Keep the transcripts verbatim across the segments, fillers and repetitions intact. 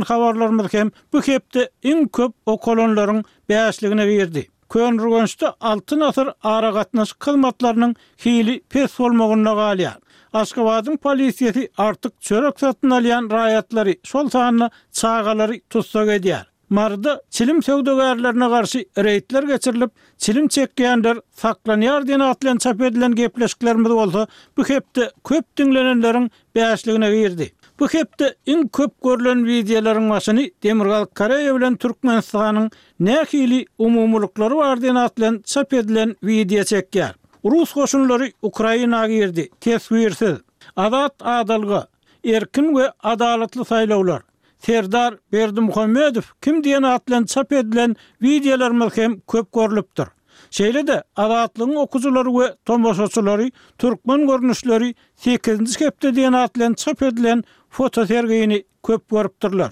Habarlarymyz hem bu hepde iň köp okalanlaryň bäşligine girdi. Köneürgençde Altyn asyr aragatnaşyk hyzmatlarynyň hili pes bolmagynda galýar. Aşgabadyň polisiýasy artyk çörek satyn alýan raýatlary, şol sanda çagalary tussag edýär. Maryda çilim söwdagärlerine garşy reýdler geçirilip, çilim çekýänler saklanýar diýen at bilen çap edilen gepleşiklerimiz bolsa bu hepde köp diňlenenleriň bäşligine girdi. Bu hepde iň köp görlen wideolaryň başyny Demirgazyk Koreýa bilen Türkmenistanyň nähili umumylyklary bar diýen at bilen çap edilen wideo çekýär. Rus goşunlary Ukraina girdi. Teswirsiz. Azat adalga, erkin we adalatly saýlawlar. Serdar Berdimuhamedow kim diýen at bilen çap edilen wideolarymyz hem köp görlüpdir. Şeýle-de Azatlygyň okyjylary we tomaşaçylary Türkmen görnüşleri sekizinji hepde diýen at bilen çap edilen fotosergini köp görüpdirler.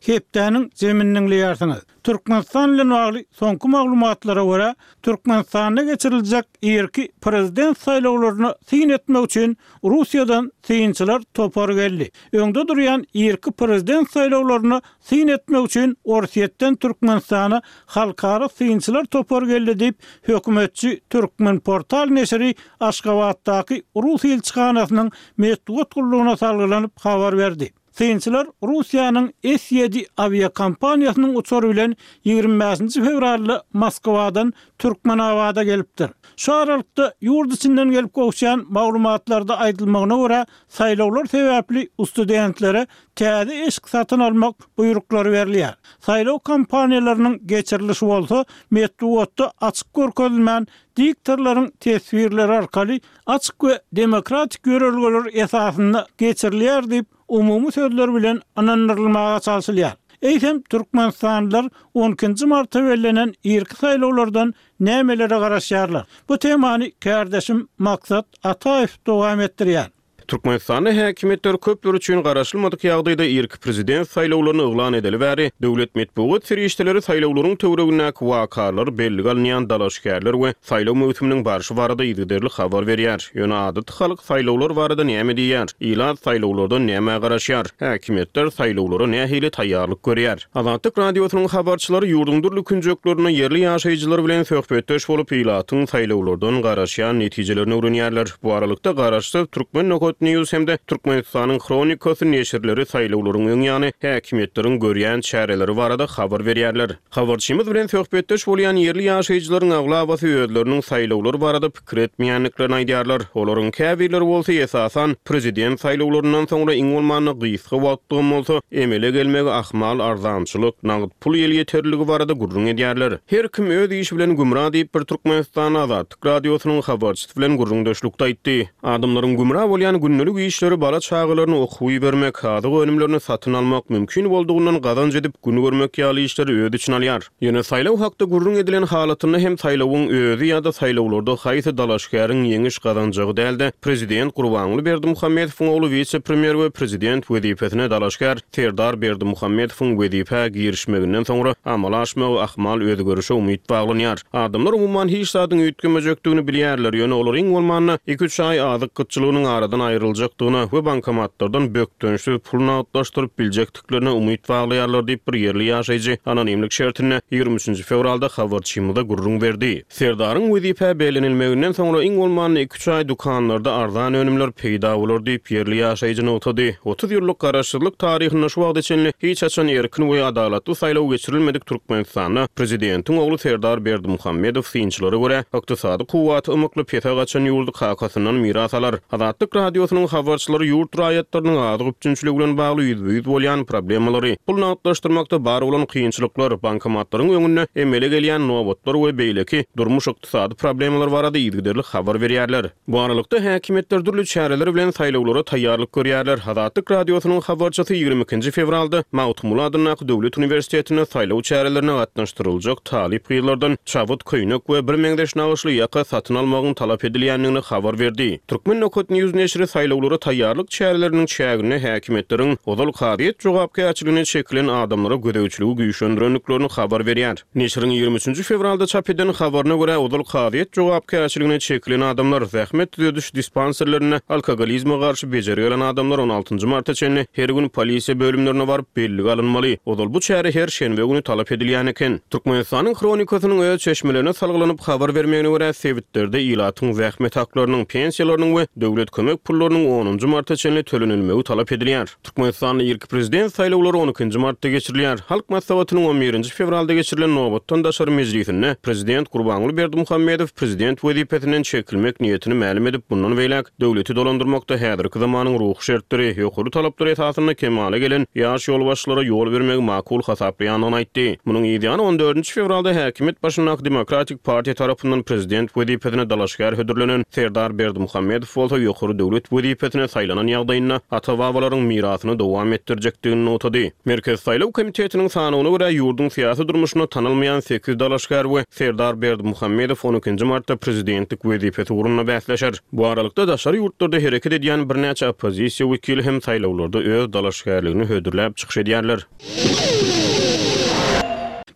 Hepdäniň jemini diňleýärsiňiz. Türkmenistan bilen bagly soňky maglumatlara görä, Türkmenistanda geçiriljek irki prezident saýlawlaryna syn etmek üçin Russiýadan synçylar topary geldi. Öňde durýan irki prezident saýlawlaryna syn etmek üçin Orsýetden Türkmenistana halkara synçylar topary geldi diýip, hökümetçi Türkmenportal neşiri Aşgabatdaky rus ilçihanasynyň metbugat gullugyna salgylanyp habar berdi. Synçylar Russiýanyň S ýedi awiakompaniýasynyň uçary bilen ýigrimi bäşinji fewralda Moskwadan Türkmenabada gelipdir. Şu aralykda ýurt içinden gelip gowuşýan maglumatlarda aýdylmagyna görä, saýlawlar sebäpli studentlere täze eşik satyn almak buýruklary berilýär. Saýlaw kampaniýalarynyň geçirilişi bolsa metbugatda açyk görkezilmän, diktorlaryň teswirleri arkaly açyk we demokratik ýörelgeler esasynda geçirilýär diýip, umumy sözler bilen ynandyrylmaga çalşylýar. Eýsem, türkmenistanlylar on ikinji marta bellenen irki saýlawlardan nämelere garaşýarlar? Bu temany kärdeşim Maksat Ataýew dowam etdirýär. Türkmenistanda häkimiýetler köpler üçin garaşylmadyk ýagdaýda irki prezident saýlawlaryny yglan edeli bäri, döwlet metbugat serişdeleri saýlawlaryň töweregindäki wakalar, bellige alynýan dalaşgärler we saýlaw möwsüminiň barşy barada yzygiderli habar berýär. Ýöne adaty halk saýlawlar barada näme diýýär? Ilat saýlawlardan nämä garaşýar? Häkimiýetler saýlawlara nähili taýýarlyk görýär? Azatlyk Radiosynyň habarçylary ýurduň dürli künjeklerinde ýerli ýaşaýjylar bilen söhbetdeş bolup, ilatyň saýlawlardan garaşýan netijelerini öwrenýärler. Bu aralykda garaşsyz Türkmen nokat News hem-de Türkmenistanyň Hronikasy neşirleri saýlawlaryň öň ýany häkimiýetleriň görýän çäreleri barada habar berýärler. Habarçymyz bilen söhbetdeş bolýan ýerli ýaşaýjylaryň aglabasy özleriniň saýlawlar barada pikir etmeýändiklerini aýdýarlar. Olaryň käbirleri bolsa esasan prezident saýlawlaryndan soňra iň bolmanda gysga wagtlygam bolsa emele gelmegi ahmal arzançylyk, nagt pul elýeterliligi barada gürrüň edýärler. Her kim öz işi bilen gümra diýip bir Türkmenistan Azatlyk Radiosynyň habarçysy bilen gürrüňdeşlikde aýtdy. Adamlaryň gümra bolýan gündelik işleri bala çagalaryny okuwa ibermek, azyk önümlerini satyn almak, mümkin boldugyndan gazanç edip gün görmek ýaly işleri öz içine alýar. Ýöne saýlaw hakda gürrüň edilen halatynda hem saýlawyň özi ýa-da saýlawlarda haýsy dalaşgäriň ýeňiş gazanjagy däl-de, prezident Gurbanguly Berdimuhamedowyň ogly wise-premýer we prezident wezipesine dalaşgär Serdar Berdimuhamedowyň wezipä girişmeginden soňra amala aşmagy ahmal özgerişe umyt baglanýar. Adamlar umuman hiç zadyň üýtgemejekdigini bilýärler, ýöne olar iň bolmanda iki-üç aý azyk gytçylygynyň aradan aýryljakdygyna we bankomatlardan bökdençsiz pul nagtlaşdyryp biljekdiklerine umyt baglaýarlar diýip bir ýerli ýaşaýjy anonimlik şertinde ýigrimi üçünji fewralda habarçymyza gürrüň berdi. Serdaryň wezipä bellenilmeginden soňra iň bolmanda iki-üç aý dükanlarda arzan önümler peýda bolar diýip ýerli ýaşaýjy nygtady. Otuz ýyllyk garaşsyzlyk taryhynda şu wagta çenli hiç haçan erkin we adalatly saýlaw geçirilmedik Türkmenistanda prezidentiň ogly Serdar Berdimuhamedow synçylara görä ykdysady kuwwaty ymykly pese gaçan ýurdy kakasyndan miras alar. Azatlyk Radiosynyň habarçylary ýurt raýatlarynyň azyk üpjünçiligi bilen bagly ýüzbe-ýüz bolýan problemalary, pul nagtlaşdyrmakda bar bolan kynçylyklar, bankomatlaryň öňünde emele gelýän nobatlar we beýleki durmuş-ykdysady problemalar barada yzygiderli habar berýärler. Bu aralykda häkimiýetler dürli çäreler bilen saýlawlara taýýarlyk görýärler. Azatlyk Radiosynyň habarçysy ýigrimi ikinji fewralda Magtymguly adyndaky döwlet uniwersitetinde saýlaw çärelerine gatnaşdyryljak talyp gyzlardan çabyt, köýnek we birmeňzeş nagyşly ýaka satyn almagyň talap edilýändigini habar berdi. Türkmen nokat News neşiri saýlawlara taýýarlyk çäreleriniň çäginde häkimiýetleriň ozal kazyýet jogapkärçiligine çekilen adamlara gözegçiligi güýçlendirendiklerini habar berýär. Neşiriň ýigrimi üçünji fewralda çap eden habaryna görä, ozal kazyýet jogapkärçiligine çekilen adamlar, zähmet düzediş dispanserlerinde alkogolizme garşy bejergi alan adamlar on altynjy marta çenli her gün polisiýa bölümlerine baryp bellige alynmaly. Ozal bu çäre her şenbe güni talap edilýän eken. Türkmenistanyň Hronikasynyň öz çeşmelerine salgylanyp habar bermegine görä, sebitlerde ilatyň zähmet haklarynyň, pensiýalarynyň we döwlet kömek pullarynyň onunjy marta çenli tölenilmegi talap edilýär. Türkmenistanda irki prezident saýlawlary on ikinji martda geçirilýär. Halk Maslahatynyň on birinji fewralda geçirilen nobatdan daşary mejlisinde prezident Gurbanguly Berdimuhamedow prezident wezipesinden çekilmek niýetini mälim edip, bundan beýläk döwleti dolandyrmakda häzirki zamanyň ruhy şertleri, ýokary talaplar esasynda kemala gelen ýaş ýolbaşçylara ýol bermegi makul hasaplaýandygyny aýtdy. Munuň ýany on dördünji fewralda häkimiýet başyndaky Demokratik partiýa tarapyndan prezident wezipesine dalaşgär hödürlenen Serdar Berdimuhamedow bolsa ýokary döwlet wezipesine saýlanan ýagdaýynda ata-babalaryň mirasyny dowam etdirjekdigini nygtady. Merkez saýlaw komitetiniň sanawyna görä ýurduň syýasy durmuşyna tanalmaýan sekiz dalaşgär we Serdar Berdimuhamedow on ikinji martda prezidentlik wezipesi ugrunda bäsleşer. Bu aralykda daşary ýurtlarda hereket edýän birnäçe oppozisiýa wekili hem saýlawlarda öz dalaşgärligini hödürläp çykyş edýärler.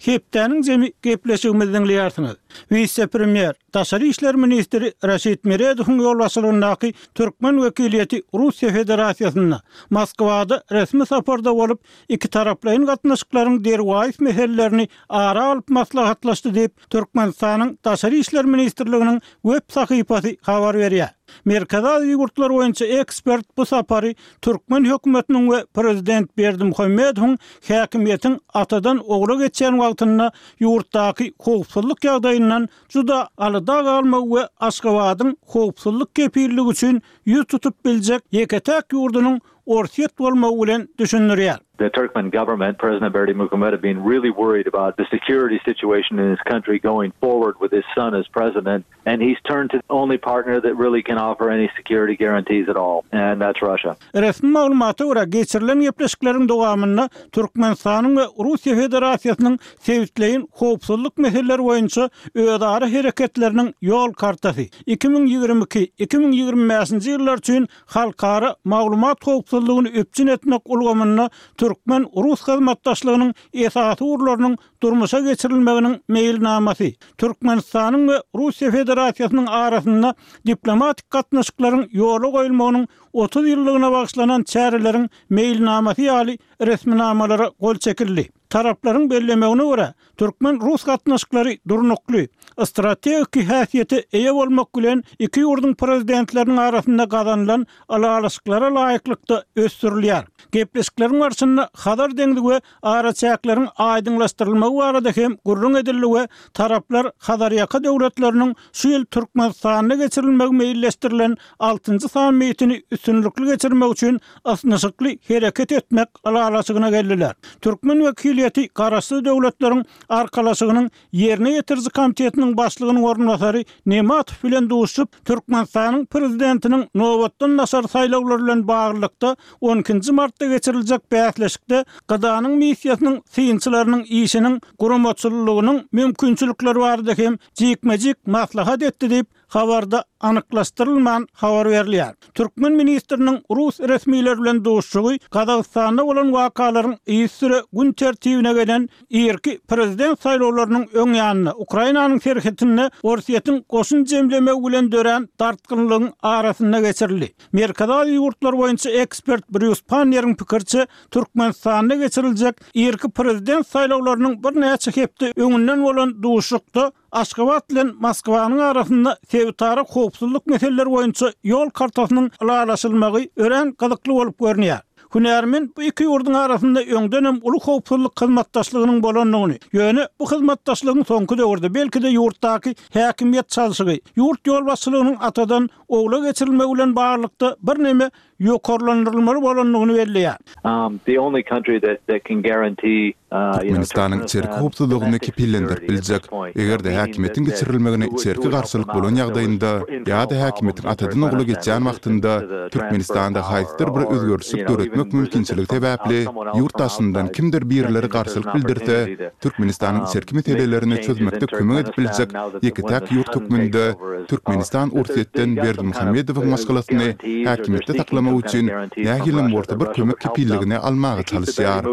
Hepdäniň jemi gepleşigimizi diňleýärsiňiz. Wise-premýer, Daşary işler ministri Raşid Meredowyň ýolbaşçylygyndaky türkmen wekiliýeti Russiýa Federasiýasynda Moskwada resmi saparda bolup, iki taraplaýyn gatnaşyklaryň derwaýys meselelerini ara alyp maslahatlaşdy diýip, Türkmenistanyň Daşary işler ministrliginiň web sahypasy habar berýär. Merkezi Aziýa ýurtlary boýunça ekspert bu sapary türkmen hökümetiniň we prezident Berdimuhamedowyň häkimiýetiň atadan ogla geçýän wagtynda ýurtdaky howpsuzlyk ýagdaýyndan juda alada galmagy we Aşgabadyň howpsuzlyk kepilligi üçin ýüz tutup biljek ýeke-täk ýurdunyň Orsýet bolmagy bilen düşündirýär. The Turkmen government, President Berdimuhamedow, being really worried about the security situation in his country going forward with his son as president, and he's turned to the only partner that really can offer any security guarantees at all, and that's Russia. Resmi maglumata görä, geçirilen gepleşikleriň dowamynda Türkmenistanyň we Russiýa Federasiýasynyň sebitleýin howpsuzlyk meseleleri boýunça özara hereketleriniň ýol kartasy iki müň ýigrimi iki, iki müň ýigrimi bäşinji ýyllar üçin halkara maglumat howpsuzlygyny üpjün etmek ulgamynda türkmen-rus hyzmatdaşlygynyň esasy ugurlarynyň durmuşa geçirilmeginiň meýilnamasy, Türkmenistanyň we Russiýa Federasiýasynyň arasynda diplomatik gatnaşyklaryň ýola goýulmagynyň otuz ýyllygyna bagyşlanan çäreleriň meýilnamasy ýaly resminamalara gol çekildi. Taraplaryň bellemegine görä, türkmen-rus gatnaşyklary durnukly, strategik häsiýete eýe bolmak bilen iki ýurduň prezidentleriniň arasynda gazanylan ylalaşyklara laýyklykda ösdürilýär. Gepleşikleriň barşynda Hazar deňzi we araçäkleriň aýdyňlaşdyrylmagy barada hem gürrüň edildi we taraplar Hazarýaka döwletleriniň şu ýyl Türkmenistanda geçirilmegi meýilleşdirilen altynjy sammitini üstünlikli geçirmek üçin ysnyşykly hereket etmek ylalaşygyna geldiler. Türkmen wekiliýeti Garaşsyz Döwletleriň Arkalaşygynyň ýerine ýetiriji komitetiniň başlygynyň orunbasary Nematow bilen duşup, Türkmenistanyň prezidentiniň nobatdan daşary saýlawlary bilen baglylykda on ikinji martda geçiriljek bäsleşikde G D A'nyň missiýasynyň synçylarynyň işiniň guramaçylygynyň mümkinçilikleri barada hem jikme-jik maslahat etdi diýip, habarda anyklaşdyrylman habar berilýär. Türkmen ministriniň rus resmileri bilen duşuşygy Gazagystanda bolan wakalaryň yzysüre gün tertibine gelen irki prezident saýlawlarynyň öň ýanynda Ukrainanyň serhetinde Orsýetiň goşun jemlemegi bilen dörän dartgynlygyň arasynda geçirildi. Merkezi Aziýa ýurtlary boýunça ekspert Brýus Panneriň pikiriçe, Türkmenistanda geçiriljek irki prezident saýlawlarynyň birnäçe hepde öňünden bolan duşuşykda Aşgabat bilen Moskwanyň arasynda sebitara howpsuzlyk meseleleri boýunça ýol kartasynyň ylalaşylmagy örän gyzykly bolup görünýär. Hünärmen bu iki ýurduň arasynda öňden hem uly howpsuzlyk hyzmatdaşlygynyň bolandygyny, ýöne bu hyzmatdaşlygyň soňky döwürde belki-de ýurtdaky häkimiýet çalşygy, ýurt ýolbaşçylygynyň atadan ogla geçirilmegi bilen baglylykda birneme ýokarlandyrylmaly bolandygyny belleýär. Um, the only country that, that can guarantee, Türkmenistanyň içerki howpsuzlygyny kepillendirip biljek, eger-de häkimiýetiň geçirilmegine içerki garşylyk bolan ýagdaýynda ýa-da häkimiýetiň atadan ogla geçýän wagtynda Türkmenistanda haýsydyr bir özgerişlik döretmek mümkinçiligi sebäpli ýurt daşyndan kimdir birileri garşylyk bildirse, Türkmenistanyň içerki meselelerini çözmekde kömek edip biljek ýeke-täk ýurt hökmünde Türkmenistan Orsýetden Berdimuhamedowyň maşgalasyny häkimiýetde saklamak üçin nähilem bolsa bir kömek kepilligini almaga çalyşýar.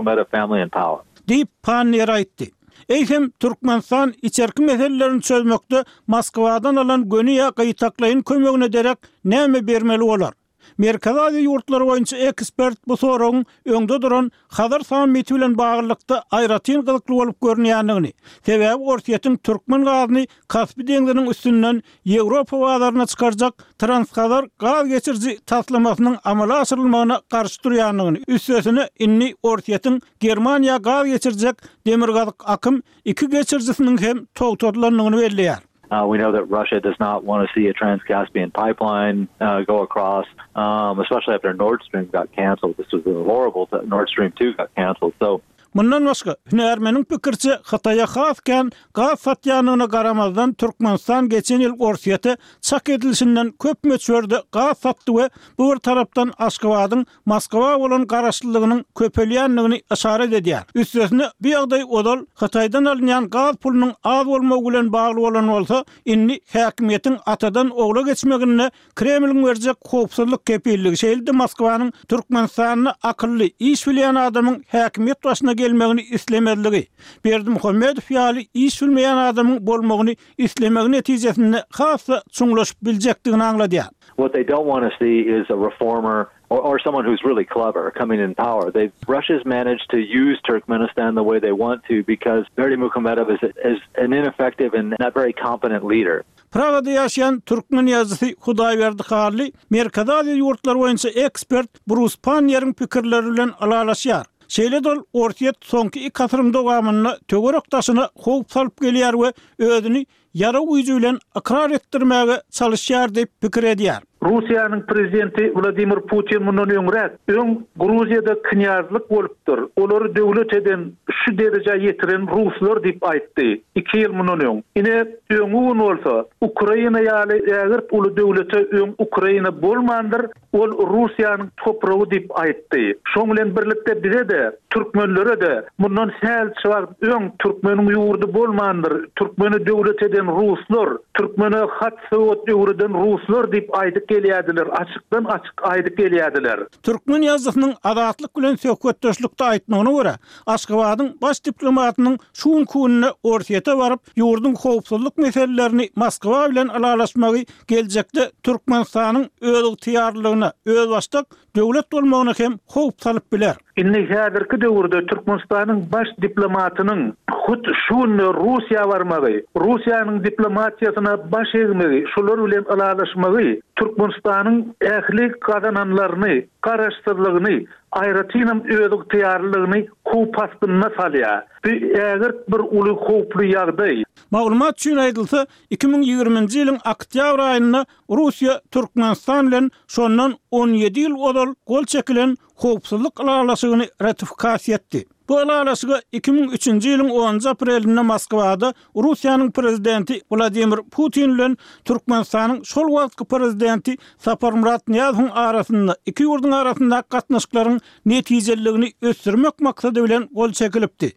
Diýip, Panniýer aýtdy. Eýsem, Türkmenistan içerki meselelerini çözmekde Moskwadan alan göni ýa gytaklaýyn kömegine derek näme bermeli bolar? Merkezi Aziýa ýurtlary boýunça ekspert bu soragyň öňde duran Hazar sammiti bilen baglylykda aýratyn gyzykly bolup görünýändigini, sebäbi Orsýetiň türkmen gazyny Kaspi deňziniň üstünden Ýewropa bazaryna çykarjak Transhazar gaz geçiriji taslamasynyň amala aşyrylmagyna garşy durýandygyny, üstesine indi Orsýetiň Germaniýa gaz geçirjek Demirgazyk akym iki geçirijisiniň hem togtadylandygyny belleýär. Uh, we know that Russia does not want to see a Trans-Caspian pipeline uh, go across, um, especially after Nord Stream got canceled. This was horrible that Nord Stream two got canceled. So Mundan başga, hünärmeniň pikiriçe, Hytaýa has kän gaz satýandygyna garamazdan, Türkmenistan geçen ýyl Orsýete çak edilişinden köp möçberde gaz satdy we bu bir tarapdan Aşgabadyň Moskwa bolan garaşlylygynyň köpelýändigini yşarat edýär. Üstesine, bu ýagdaý ozal Hytaýdan alynýan gaz pulunyň az bolmagy bilen bagly bolan bolsa, indi häkimiýetiň atadan ogla geçmeginde Kremliň berjek howpsuzlyk kepilligi, şeýle-de Moskwanyň Türkmenistanda akylly, iş bilýän adamyň häkimiýet başyna gelmegini islemezligi, Berdimuhamedow ýaly iş bilmeýän adamyň bolmagyny islemegi netijesinde has-da çuňlaşyp biljekdigini aňladýar. What they don't want to see is a reformer or, or someone who's really clever coming in power. They've, Russia's managed to use Turkmenistan the way they want to because Berdimuhamedov is, is an ineffective and not very competent leader. Pragada ýaşaýan türkmen ýazyjysy Hudaýberdi Hally Merkezi Aziýa ýurtlary boýunça ekspert Brus Panniýeriň pikirleri bilen ylalaşýar. Şeýle-de ol Orsýet soňky iki asyryň dowamynda töwerek daşyna howp salyp gelýär we özüni ýarag güýji bilen ykrar etdirmäge çalyşýar diýip pikir edýär. Russiýanyň prezidenti Wladimir Putin mundan öňräk, öň Gruziýada knýazlyk bolupdyr, olary döwlet eden, şu derejä ýetiren ruslar diýip aýtdy, iki ýyl mundan öň. Ine, öňňi gün bolsa, Ukraina ýaly ägirt uly döwlete öň Ukraina bolmandyr, ol Russiýanyň topragy diýip aýtdy. Şoň bilen birlikde bize-de, türkmenlere-de mundan sähelçe wagt öň türkmeniň ýurdy bolmandyr, türkmeni döwlet eden ruslar, türkmene hat-sowat öwreden ruslar diýip aýdyp gelýärdiler, açykdan-açyk aýdyp gelýärdiler. Türkmen ýazyjysynyň Azatlyk bilen söhbetdeşlikde aýtmagyna görä, Aşgabadyň baş diplomatynyň şu günki günde Orsýete baryp, ýurduň howpsuzlyk meselelerini Moskwa bilen ylalaşmagy geljekde Türkmenistanyň özygtyýarlylygyna, özbaşdak döwlet bolmagyna hem howp salyp biler. Indi häzirki döwürde Türkmenistanyň baş diplomatynyň hut şu günde Russiýa barmagy, Russiýanyň diplomatiýasyna baş egmegi, şular bilen ylalaşmagy Türkmenistanyň ähli gazananlaryny, garaşsyzlygyny, aýratynam özygtyýarlylygyny howp astynda salýar. Bu ägirt bir uly howply ýagdaý. Maglumat üçin aýdylsa, iki müň ýigriminji ýylyň oktýabr aýynda Russiýa Türkmenistan bilen şondan on ýedi ýyl ozal gol çekilen howpsuzlyk ylalaşygyny ratifikasiýa etdi. Bu ylalaşyga iki müň üçünji ýylyň onunjy aprelinde Moskwada Russiýanyň prezidenti Wladimir Putin bilen Türkmenistanyň şol wagtky prezidenti Saparmyrat Nyýazowyň arasynda iki ýurduň arasyndaky gatnaşyklaryň netijeliligini ösdürmek maksady bilen gol çekilipdi.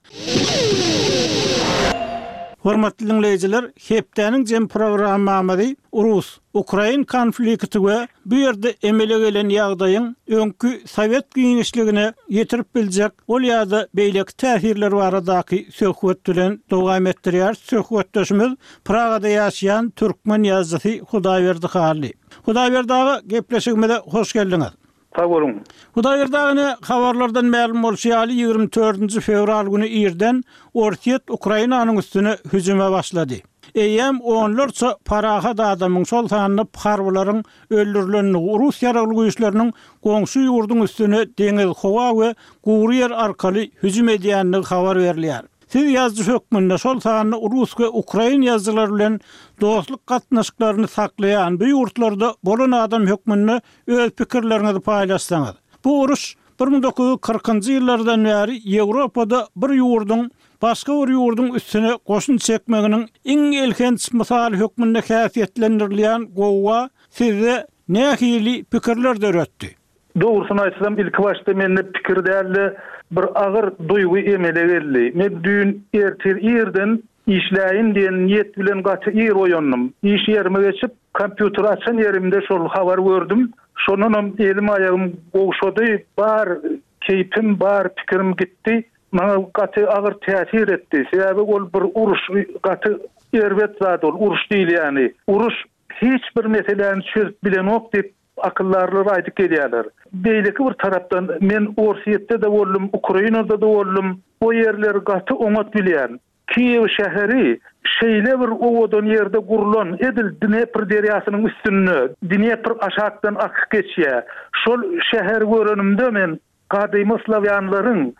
Hormatly diňleýjiler, hepdäniň jem programmamyzy rus, ukrain konflikti we bu ýerde emele gelen ýagdaýyň öňki sowet giňişligine ýetirip biljek ol ýa-da beýleki täsirler baradaky söhbet bilen dowam etdirýär. Söhbetdeşimiz Pragada ýaşaýan türkmen ýazyjysy Hudaýberdi Hally. Hudaýberdi aga, gepleşigimize hoş geldiňiz. Sag boluň. Hudaýberdi aga, ine, habarlardan mälim bolşy ýaly, ýigrimi dördünji fewral güni irden Orsýet Ukrainanyň üstüne hüjüme başlady. Eýýäm onlarça parahat adamyň, şol sanda harbylaryň öldürilendigi, rus ýaragly güýçleriniň goňşy ýurduň üstüne deňiz, howa we gury ýer arkaly hüjüm edýändigi habar berilýär. Siz ýazyjy hökmünde şol sanda rus we ukrain ýazyjylary bilen dostluk gatnaşyklaryny saklaýan bu ýurtlarda bolan adam hökmünde öz pikirleriňizi paýlaşsaňyz. Bu uruş Bir müň dokuz ýüz kyrkynjy ýyllardan bäri Ýewropada bir ýurduň başga bir ýurduň üstüne goşun çekmeginiň iň elhenç mysaly hökmünde häsiýetlendirilýän gowga sizde nähili pikirler döretdi? Dogrusyny aýtsam, ilki başda mende pikir däl-de, bir agyr duýgy emele geldi. Men düýn ertir irden işläýin diýen niýet bilen gaty ir oýandym. Iş ýerime geçip, kompýuteri açan ýerimde şol habary gördüm. Şondanam elim-aýagym gowşady, bar keýpim, bar pikirim gitdi. Maňa gaty agyr täsir etdi. Sebäbi ol bir uruş, gaty erbet zat ol, uruş diýilýäni. Uruş hiç bir meseläni çözüp bilenok diýip, akyldarlar aýdyp gelýärler. Beýleki bir tarapdan, men Orsýetde-de boldum, Ukrainada-da boldum, o ýerleri gaty oňat bilýän. Kiýew şäheri şeýle bir owadan ýerde gurlan, edil Dnepr derýasynyň üstünde, Dnepr aşakdan akyp geçýär. Şol şäheri görenimde men gadymy slawýanlaryň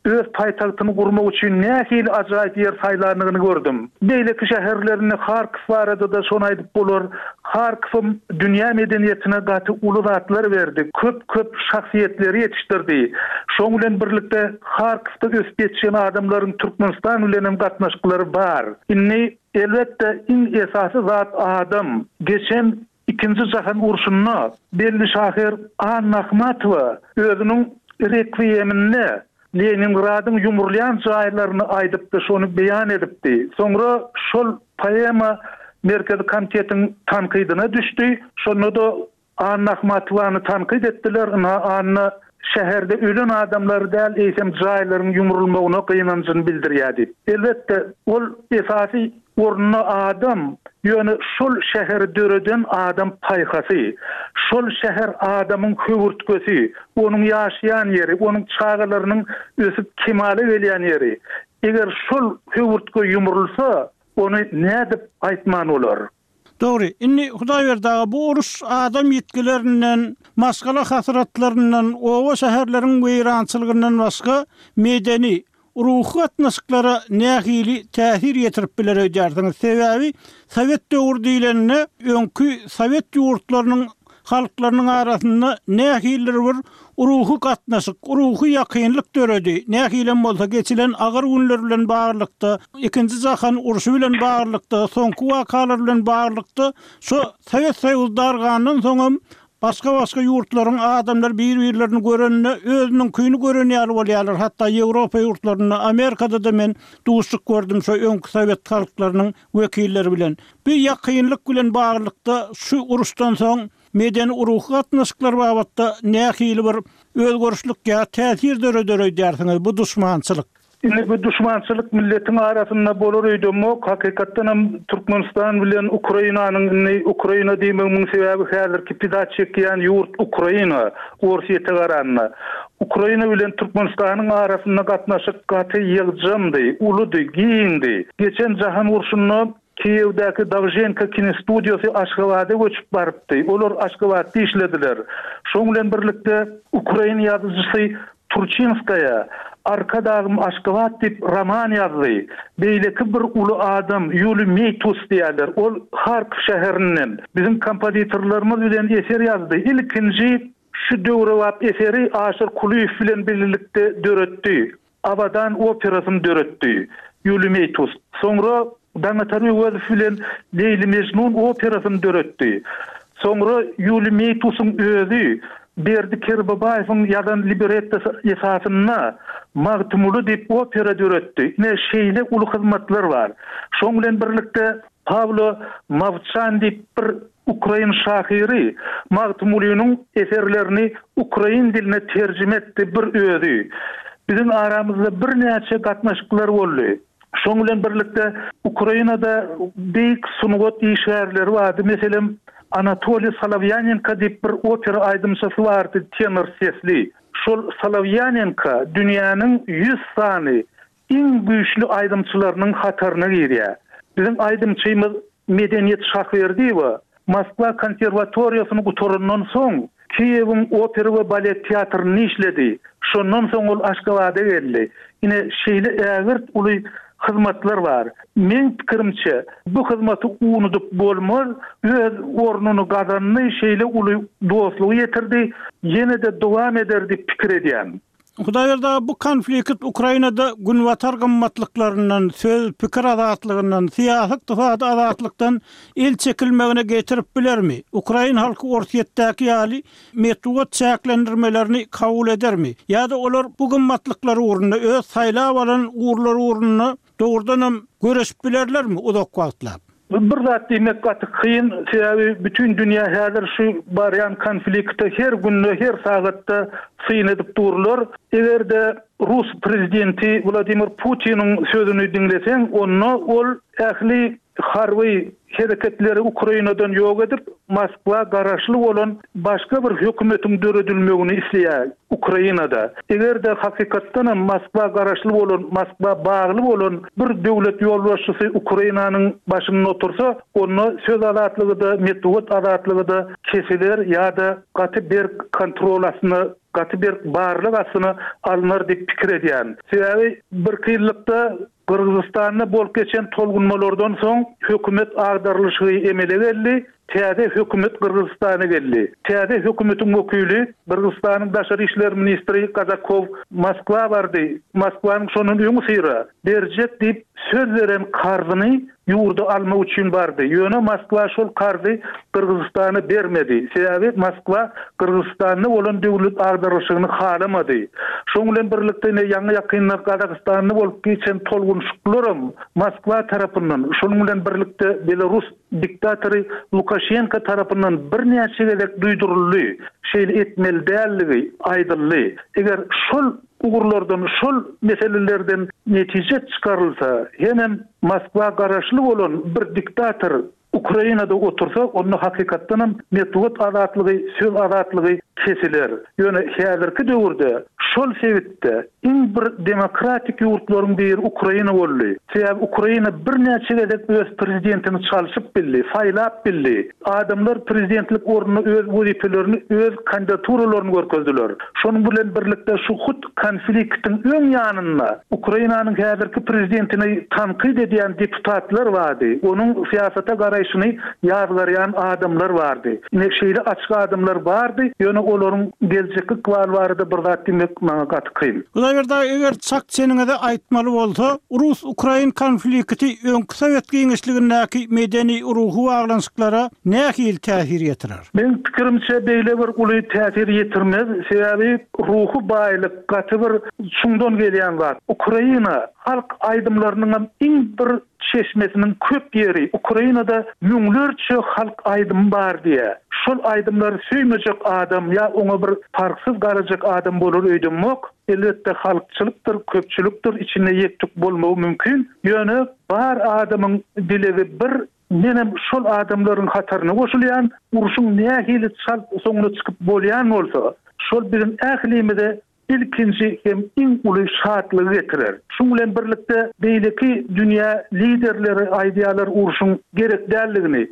öz paýtagtyny gurmak üçin nähili ajaýyp ýer saýlandygyny gördüm. Beýleki şäherlerinde Harkow barada-da şony aýdyp bolar. Harkowam dünýä medeniýetine gaty uly zatlar berdi, köp-köp şahsyýetleri ýetişdirdi. Şoň bilen birlikde Harkowda ösüp ýetişen adamlaryň Türkmenistan bilen hem gatnaşyklary bar. Indi, elbetde, iň esasy zat adam. Geçen Ikinji jahan urşunda belli şahyr Anna Ahmatowa özüniň Rekwiýeminde Leningradyň ýumrulýan jaýlaryny aýdypdy, şony beýan edipdi. Soňra şol poema Merkezi Komitetiň tankydyna düşdi. Şonda-da Anna Ahmatowany tankyt etdiler, ynha Anna şäherde ölen adamlary däl, eýsem jaýlaryň ýumrulmagyna gynanjyny bildirýär diýip. Elbetde, ol esasy orunda adam, ýöne şol şäheri döreden adam paýhasy, şol şäher adamyň höwürtgesi, onuň ýaşaýan ýeri, onuň çagalarynyň ösüp kemala gelýän ýeri. Eger şol höwürtge ýumrulsa, ony nädip aýtman bolar? Dogry, indi Hudaýberdi aga, bu uruş adam ýitgilerinden, maşgala hasratlaryndan, oba-şäherleriň weýrançylygyndan başga medeni, ruhy gatnaşyklara nähili täsir ýetirip biler öýdýärsiňiz? Sebäbi sowet döwri diýlende, öňki sowet ýurtlarynyň halklarynyň arasynda nähilidir bir ruhy gatnaşyk, ruhy ýakynlyk döredi. Nähilem bolsa geçilen agyr günler bilen baglylykda, Ikinji jahan urşy bilen baglylykda, soňky wakalar bilen baglylykda şo Sowet Soýuzy dargandan soňam başga-başga ýurtlaryň adamlary bir-birlerini görende özüniňkini gören ýaly bolýarlar. Hatda Ýewropa ýurtlarynda, Amerikada-da men duşuşyk gördüm şo öňki sowet halklarynyň wekilleri bilen. Bu ýakynlyk bilen baglylykda şu uruşdan soň medeni-ruhy gatnaşyklar babatda nähili bir özgerişlik ýa täsir döreder öýdýärsiňiz bu duşmançylyk? Indi bu duşmançylyk milletiň arasynda bolar öýdemok. Hakykatdan hem Türkmenistan bilen Ukrainanyň indi Ukraina diýmegimiň sebäbi häzirki pida çekýän ýurt Ukraina, Orsýete garanda. Ukraina bilen Türkmenistanyň arasynda gatnaşyk gaty ýygjamdy, uludy, giňdi. Geçen jahan urşunda Kiýewdäki Dowženko kinostudiýasy Aşgabada göçüp barypdy. Olar Aşgabatda işlediler. Şoň bilen birlikde ukrain ýazyjysy Turçinskaýa Arkadagym Aşgabat diýip roman ýazdy. Beýleki bir uly adam Ýuliý Meýtus diýýärler. Ol Harkow şäherinden. Biziň kompozitorlarymyz bilen eser ýazdy. Ilkinji şu döwrebap eseri Aşyr Kulyýew bilen birlikde döretdi. Abadan operasyny döretdi. Ýuliý Meýtus. Soňra Daňatar Öwezow bilen Leýli-Mejnun operasyny döretdi. Soňra Ýuliý Meýtusyň özi Berdi Kerbabaýewiň ýazan librettosy esasynda Magtymguly diýip opera döretdi. Ine, şeýle uly hyzmatlar bar. Şoň bilen birlikde Pawlo Mowçan diýip bir ukrain şahyry Magtymgulynyň eserlerini ukrain diline terjime etdi bir özi. Biziň aramyzda birnäçe gatnaşyklar boldy. Şoň bilen birlikde Ukrainada beýik sungat işgärleri bardy. Meselem, Anatoliý Solowýanenko diýip bir opera aýdymçysy bardy, tenor sesli. Şol Solowýanenko dünýäniň ýüz sany iň güýçli aýdymçylarynyň hataryna girýär. Biziň aýdymçymyz Medeniýet Şahberdiýewa Moskwa konserwatoriýasyny gutarandan soň, Kiýewiň opera we balet teatrynda işledi. Şondan soň ol Aşgabada geldi. Ine, şeýle ägirt uly hyzmatlar bar. Meň pikirimçe, bu hyzmaty unudyp bolmaz, öz ornuny gazandy, şeýle uly dostlugy ýetirdi, ýene-de dowam eder diýip pikir edýän. Hudaýberdi aga, bu konflikt Ukrainada günbatar gymmatlyklaryndan, söz, pikir azatlygyndan, syýasy-ykdysady azatlykdan el çekilmegine getirip bilermi? Ukrain halky Orsýetdäki ýaly metbugat çäklendirmelerini kabul edermi? Ýa-da olar bu gymmatlyklar ugrunda, öz saýlap alan ugurlary ugrunda dogrudanam göreşip bilerlermi uzak wagtlap? Bir zat diýmek gaty kyn, sebäbi bütin dünýä häzir şu barýan konflikte her günde, her sagatda syn edip durlar. Eger-de rus prezidenti Wladimir Putiniň sözüni diňleseň, onda ol ähli harby hereketleri Ukrainadan ýok edip, Moskwa garaşly bolan başga bir hökümetiň döredilmegini isleýär Ukrainada. Eger-de hakykatdanam Moskwa garaşly bolan, Moskwa bagly bolan bir döwlet ýolbaşçysy Ukrainanyň başynda otursa, onda söz azatlygy-da, metbugat azatlygy-da kesiler ýa-da gaty berk kontrol astyna, gaty berk barlag astyna alnar diýip pikir edýän. Sebäbi birki ýyllykda Gyrgyzystanda bolup geçen tolgunmalardan soň hökümet agdarylyşygy emele geldi, täze hökümet Gyrgyzystana geldi. Täze hökümetiň wekili, Gyrgyzystanyň daşary işler ministri Kazakow Moskwa bardy. Moskwanyň şondan öňüsyra berjek diýip söz beren karzyny ýurda almak üçin bardy. Ýöne Moskwa şol karzy Gyrgyzystana bermedi. Sebäbi Moskwa Gyrgyzystanda bolan döwlet agdarylyşygyny halamady. Şoň bilen birlikde ine ýaňy-ýakynda Gazagystanda bolup geçen tolgunyşyklaram Moskwa tarapyndan, şonuň bilen birlikde Belarus diktatory Lukaşenko tarapyndan birnäçe gezek duýduryldy, şeýle etmeli däldigi aýdyldy. Eger şol ugurlardan, şol meselelerden netije çykarylsa, hemem Moskwa garaşly bolan bir diktator Ukrainada otursa, onda hakykatdanam metbugat azatlygy, söz azatlygy kesiler. Ýöne häzirki döwürde şol sebitde iň bir demokratik ýurtlaryň biri Ukraina boldy. Sebäbi Ukraina birnäçe gezek öz prezidentini çalşyp bildi, saýlap bildi. Adamlar prezidentlik ornuna öz wezipelerini, öz kandidaturalaryny görkezdiler. Şonuň bilen birlikde şu hut konfliktiň öň ýanynda Ukrainanyň häzirki prezidentini tankyt edýän deputatlar bardy. Onuň syýasata garaýşyny ýazgarýan adamlar bardy. Ine şeýle açyk adamlar bardy, ýöne olaryň geljekki ykbaly barada bir zat diýmek maňa gaty kyn. Hudaýberdi aga, eger çak çeniňizi aýtmaly bolsa, rus-ukrain konflikti öňki sowet giňişligindäki medeni-ruhy baglanyşyklara nähili täsir ýetirer? Meň pikirimçe, beýle bir uly täsir ýetirmez, sebäbi ruhy baýlyk gaty bir çuňdan gelýän zat. Ukraina halk aýdymlarynyňam iň bir çeşmesiniň köp ýeri, Ukrainada müňlerçe halk aýdymy bar diýýär. Şol aýdymlary söýmejek adam ýa oňa bir parhsyz garajak adam bolar öýdemok. Elbetde halkçylykdyr, köpçülikdir, içinde ýek-tük bolmagy mümkin. Ýöne bar adamyň dilegi bir, menem şol adamlaryň hataryna goşulýan, urşuň nähili çalt soňuna çykyp bolýan bolsa, şol biziň ählimize ilkinji hem iň uly şatlygy getirer. Şuň bilen birlikde beýleki dünýä liderleri aýdýarlar urşuň gerek däldigini.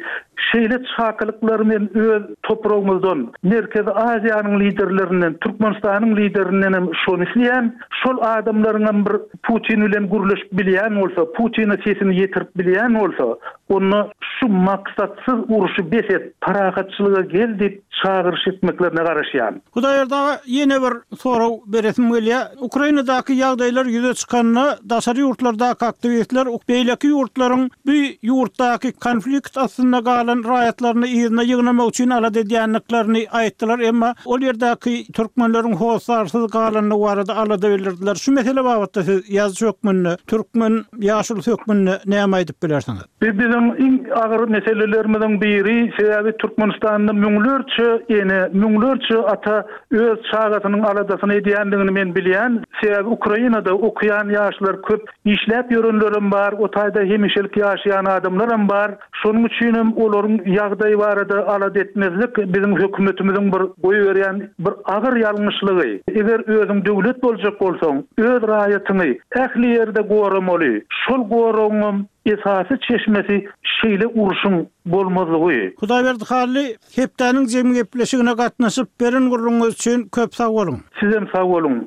Şeýle çakylyklary men öz topragymyzdan, Merkezi Aziýanyň liderlerinden, Türkmenistanyň liderinden hem şony isleýän. Şol adamlaryň hem bir Putin bilen gürleşip bilýän bolsa, Putine sesini ýetirip bilýän bolsa, onda şu maksatsyz urşy bes et, parahatçylyga gel diýip çagyryş etmeklerine garaşýan. Hudaýberdi aga, ýene bir sorag beresim gelýär. Ukrainadaky ýagdaýlar ýüze çykanda daşary ýurtlardaky aktiwistler beýleki ýurtlaryň bu ýurtdaky konflikt astynda galan raýatlaryny yzyna ýygnamak üçin alada edýändiklerini aýtdylar, emma ol ýerdäki türkmenleriň hossarsyz galandygy barada alada bildirdiler. Şu mesele babatda siz ýazyjy hökmünde, türkmen ýaşulusy hökmünde näme aýdyp bilersiňiz? Bu biziň iň agyr meselelerimiziň biri, sebäbi Türkmenistanda müňlerçe ene, müňlerçe ata öz çagasynyň aladasyny edýändigini men bilýän. Sebäbi Ukrainada okaýan ýaşlar köp, işläp ýörenlerem bar, o taýda hemişelik ýaşaýan adamlaram bar. Şonuň üçinem olaryň ýagdaýy barada alada etmezlik biziň hökümetimiziň bir goýberýän bir agyr ýalňyşlygy. Eger özüň döwlet boljak bolsaň, öz raýatyňy ähli ýerde goramaly. Şol goragyňam esasy çeşmesi şeýle urşuň bolmazlygy. Hudaýberdi Hally, hepdäniň jemi gepleşigine gatnaşyp, beren gürrüňiňiz üçin köp sag boluň. Sizem sag boluň.